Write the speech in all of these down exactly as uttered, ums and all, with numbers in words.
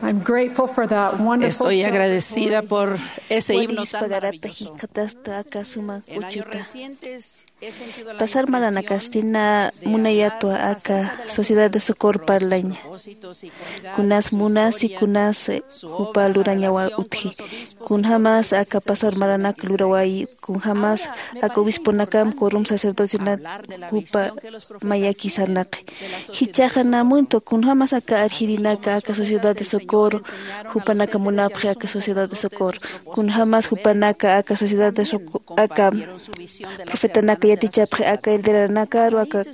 I'm grateful for that wonderful Estoy agradecida celebration. Por ese himno tan Walispagarat maravilloso. Jikxatasta aka suma En Años kuchuta. Recientes he sentido la Pasar necesidad maranakasti na munayatwa aka Sociedad de Socorro parlaña. Kunas munasi kunas, eh, jupa lurañawa utji. Kunjamas aka pasar maranak luraway, kunjamas aka obisponakam, quorum sacerdocional jupa mayaki sarnaqi. Jichhaxa namuntwa kunjamas aka arjirinaka aka Sociedad de Socorro, jupanaka munapxi aka Sociedad de Socorro. Kunjamas jupanaka aka Sociedad de Socorro, aka profetanaka yatichapxi aka elderanakaru, aka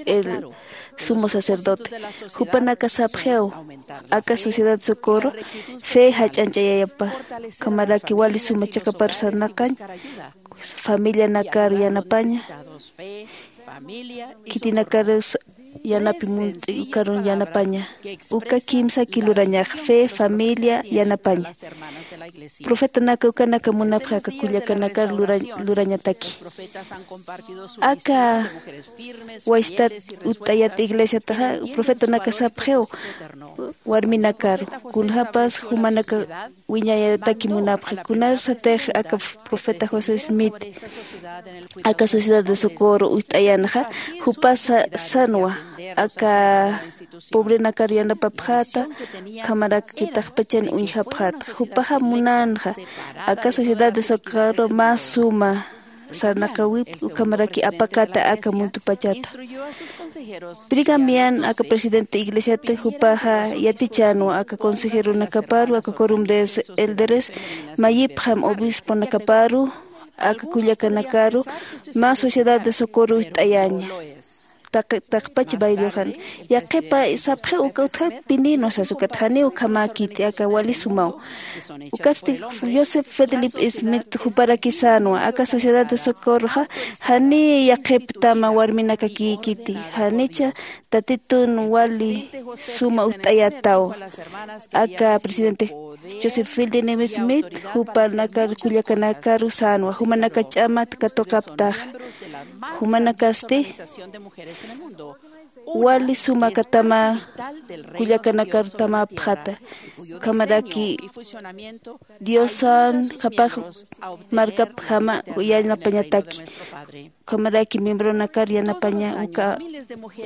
el sumo sacerdote. Jupanaka sapxiw, aka Sociedad de Socorro fe jach'añch'ayayapa, ukhamaraki wali suma chiqapar sarnaqañ, familianakar yanapaña, khitinakarus yanapi munt'i ukarun yanapaña. Uka kimsaki lurañax, fe, familia, yanapaña. Profetanaka ukanaka munapxi aka kullakanakar lura-, lurañataki. Aka waystat utt'ayat iglesiataxa profetanaka sapxiw warminakaru, kunjapas jumanaka wiñayataki munapxi. Kunarsatix aka profeta José Smith aka Sociedad de Socorro utt'ayanxa, jupa sa-, sanwa aka pobrenakar yanapapxäta, ukhamaraki taqpachan uñjapxäta. Jupaxa munänxa aka Sociedad de Socorro mä suma sarnaqawip, ukhamaraki apaqata aka muntupachata. Brigham Young aka presidente iglesiata, jupaxa yatichänwa aka consejeronakaparu, aka quorum de elderes, mayipxam obisponakaparu, aka kullakanakaru, mä Sociedad de Socorro utt'ayaña. Taq-, taqpach bayriuxan. Yaqhipa sapxiw uka utjaw pinïnwa sas ukat, janiw ukhamäkiti, aka wali sumaw. Ukatsti Joseph Fielding Smith juparaki sänwa, aka Sociedad de Socorroxa janiy yaqhip tama warminakakïkiti, janicha Tatitun wali suma utt'ayätaw. Aka presidente Joseph Fielding Smith jupanakar kullakanakaru sänwa, jumanaka ch'amat katuqaptaxa. Jumanakasti wali suma katama kullakanakar tamapxäta. Ukhamaraki Diosan qhapaq markapjama yanapañataki. Ukhamaraki miembronakar yanapaña uka,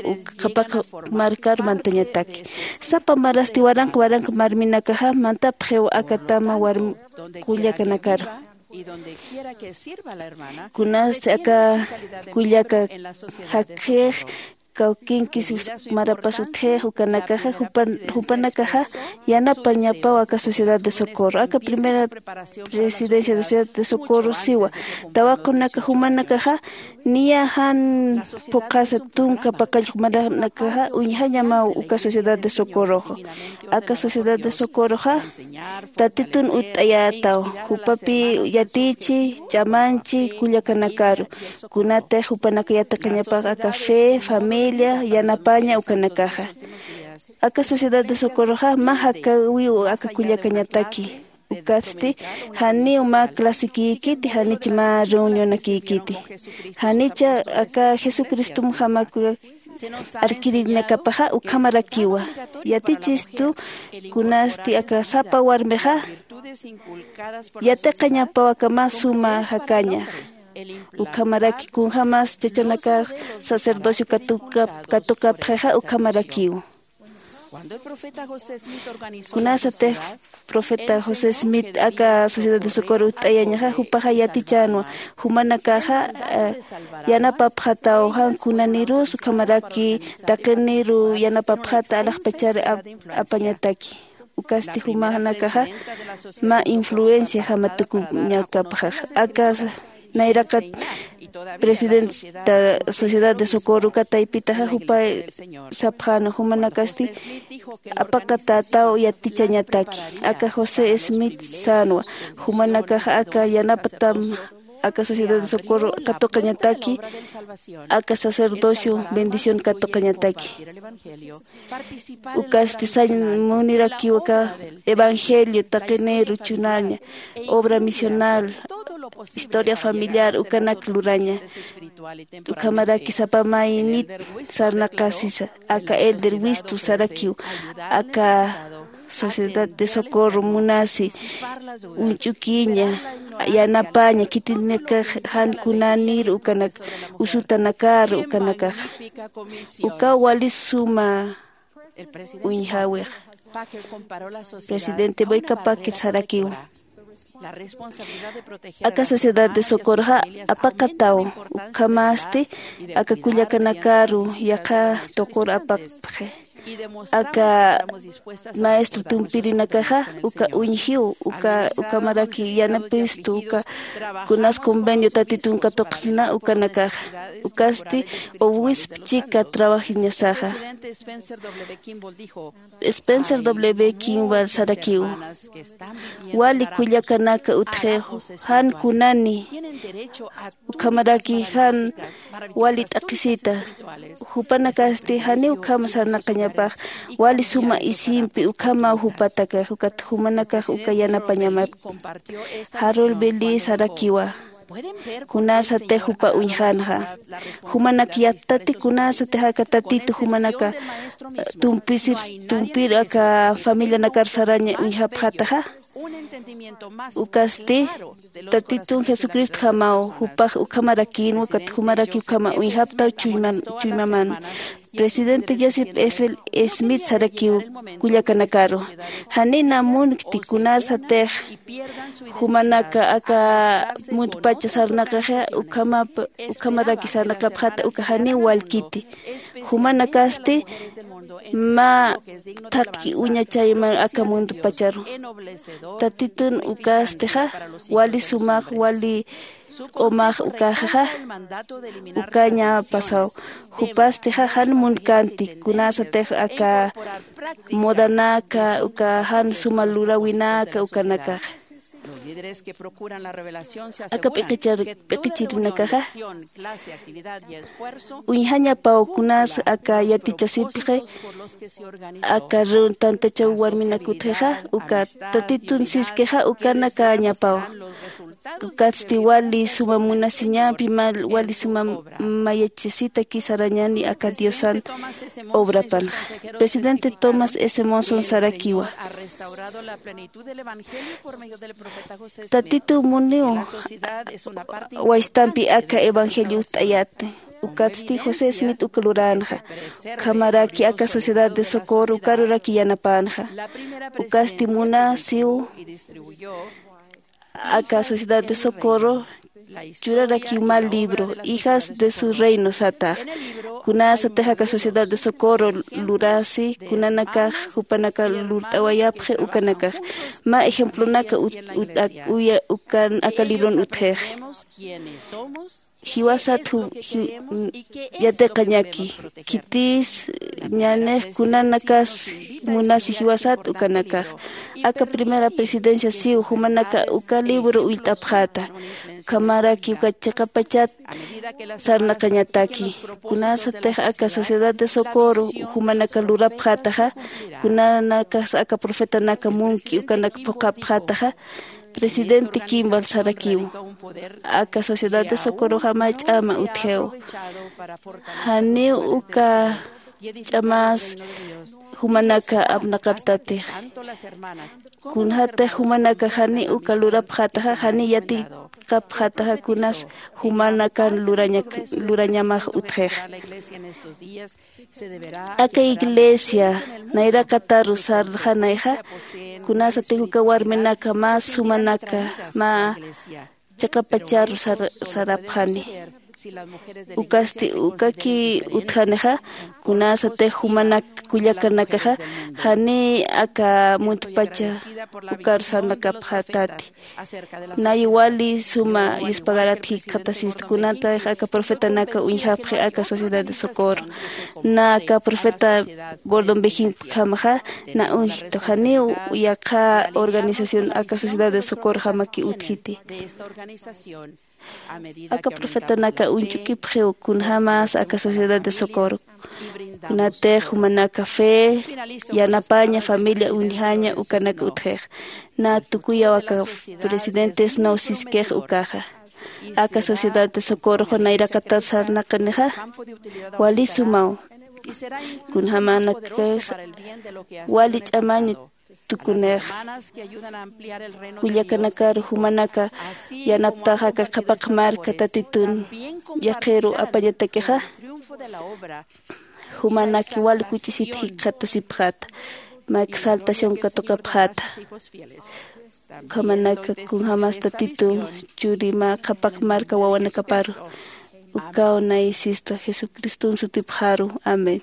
uka qhapaq markar mantañataki. Sapa marasti waranqa waranqa marminakaxa mantapxiw aka tama warm-, kullakanakar. Kunasti aka kullaka jakxix, kawkinkis marapas utjix, ukanakaxa jupan-, jupanakaxa yanapañapaw aka Sociedad de Socorro. Aka primera presidencia de Sociedad de Socorro siwa, tawaqunaka jumanakaxa niya jan phuqhasa tunka paqallq maranakaxa uñjañamaw uka Sociedad de Socorroxa. Aka Sociedad de Socorroxa Tatitun utt'ayätaw, jupapi yatichi, ch'amanchi kullakanakaru, kunatix jupanaka yatiqañapax aka fe, familia, yanapaña ukanakaxa. Aka Sociedad de Socorroxa mä jakäwiw aka kullakañataki. Ukatsti janiw mä clasekïkiti, janich mä reunionakïkiti. Janicha aka Jesucristomjamakuya arkirinakapaxa ukhamarakiwa. Yatichistu kunasti aka sapa warmixa yatiqañapaw aka mä suma jakañax. Ukhamaraki kunjamas chachanakax sacerdocio katuka-, katuqapxixa ukhamarakiw. Kunasatix profeta José Smith aka Sociedad de Socorro utt'ayañaxa, jupaxa yatichänwa, jumanakaxa, eh, yanapapxataw jan kunanirus, ukhamaraki taqiniru yanapapxata alaxpachar ap-, apañataki. Ukasti jumanakaxa mä influenciajama tukuñakapxax. Aka nayraqat presidenta Sociedad de Socorro uka taypitaxa jupa sapxäna, jumanakasti apaqatätaw yatichañataki. Aka José Smith sänwa, jumanakaxa aka yanapatam aka Sociedad de Socorro katuqañataki, aka sacerdocio bendición katuqañataki. Ukasti sañ munirakiw aka evangelio, taqiniru chunaña, obra misional, historia familiar, ukanak luraña. Ukhamaraki sapa maynit sarnaqasisa, aka elder wistu sarakiw, aka Sociedad de Socorro munasi uñch'ukiña, yanapaña khitinakax jan kunanir ukanak, usutanakar ukanakax. Uka wali suma uñjäwix. Presidente Boyka Packer sarakiw, aka Sociedad de Socorroxa apaqataw, ukhamasti aka kullakanakaru yaqha tuqur apaqpxi. Aka maestro tumpirinakaxa uka uñjiw, uka ukhamaraki yanapistu uka kunas convenio Tatitun katuqsina ukanakaxa. Ukasti owispchika trabajiñasaxa. Spencer W Kimball sarakiw, wali kullakanaka utjixu, jan kunani ukhamaraki jan wali t'aqhisita. Jupanakasti janiw ukhama sarnaqañapax, wali suma isimpi ukhamaw jupatakax, ukat jumanakax uka yanapañamat. Harold Billy sarakiwa, kunarsatix jupa uñjanxa. Jumanak yattati kunarsatix aka Tatitu jumanaka, eh, tumpisir, tumpir aka familianakar saraña uñjapxataxa. Ukasti Tatitun Jesucristjamaw jupax ukhamarakïnwa, ukat jumaraki ukhama uñjaptaw chuyman, chuymaman. Presidente Joseph F Smith sarakiw kullakanakaru, janina munkti kunarsatix jumanaka aka muntpacha sarnaqaxa ukhamap-, ukhamaraki sarnaqapxata uka janiw walkiti. Jumanakasti mä thaqki uña chayman aka muntpacharu. Tatitun ukastixa wali sumax, wali q'umax ukaxaxa ukaña pasaw. Jupastixa jan munkänti kunarsatix aka modanaka, uka jan suma luräwinaka ukanakaxa. Aka p'iqichar-, p'iqichirinakaxa uñjañapaw kunas aka yatichasipxi, aka reun-, tantachaw warminak utjixa, uka Tatitun siskixa ukanakañapaw. Ukatsti wali suma munasiñampi, mal-, wali suma mayachasitaki sarañani aka Diosan obrapanxa. Presidente Thomas S Monson sarakiwa, Tatitu muniw waystampi aka evangelio utt'ayäti. Ukatsti José Smith uk luränxa. Ukhamaraki aka Sociedad de Socorro ukaruraki yanapänxa. Ukasti munasiw aka Sociedad de Socorro churarakiw mä libro, Hijas de su Reino satax. Kunarsatix aka Sociedad de Socorro lurasi, kunanakax jupanaka lurt'awayapxi ukanakax. Mä ejemplonaka ut-, ut-, ak-, uya-, ukan aka libron utjixi. Jiwasat ju-, ju-, yatiqañaki, khitis ñanix kunanakas munasi jiwasat ukanakax. Aka primera presidencia siw jumanaka uka libro ullt'apxäta. Ukhamaraki uka chiqapachat sarnaqañataki. Kunarsatix aka Sociedad de Socorro jumanaka lurapxätaxa, kunanakas aka profetanaka munki ukanak phuqhapxätaxa, Presidente Kimball sarakiw, aka Sociedad de Socorroxa mä ch'ama utjiw. Janiw uka ch'amas jumanaka apnaqaptatix. Kunjatix jumanaka janiw uka lurapxätaxa, janiw yatiqapxätaxa kunas jumanakan lurañak-, lurañamax utjix. Aka iglesia nayraqataru sarxanayxa, kunarsatix uka warminaka mä sumanaka, mä chiqapacharu sar-, sarapxani. Ukasti ukaki utjanixa, kunarsatix jumanak kullakanakaxa, janiy aka muntpacha ukar sarnaqapxätati. Nay wali suma yuspagarat jikxatasista, kunatix aka profetanaka uñjapxi aka Sociedad de Socorro. Na aka profeta Gordon B Hinckley jamaxa na uñjtu, janiw yaqha organización aka Sociedad de Socorro jamaki utjiti. Aka profetanaka uñch'ukipxiw kunjamas aka Sociedad de Socorro. Kunatix jumanaka fe, yanapaña, familia uñjaña ukanak utjix. Na tukuyaw aka presidente Snow siskix ukaxa. Aka Sociedad de Socorro nayraqatar sarnaqanixa, wali sumaw. Kunjamanakas wali ch'amañ tukunix. Kullakanakar jumanaka yanaptaxa aka qhapaq marka tatitun yaqiru apañatakixa, jumanaki wal kuch'isit jikxatasipxata, mak saltación katuqapxata. Ukhamanaka kunjämas tatitu churi mä qhapaq marka wawanakaparu. Ukaw nayasista jesucriston sutipxaru. Amén.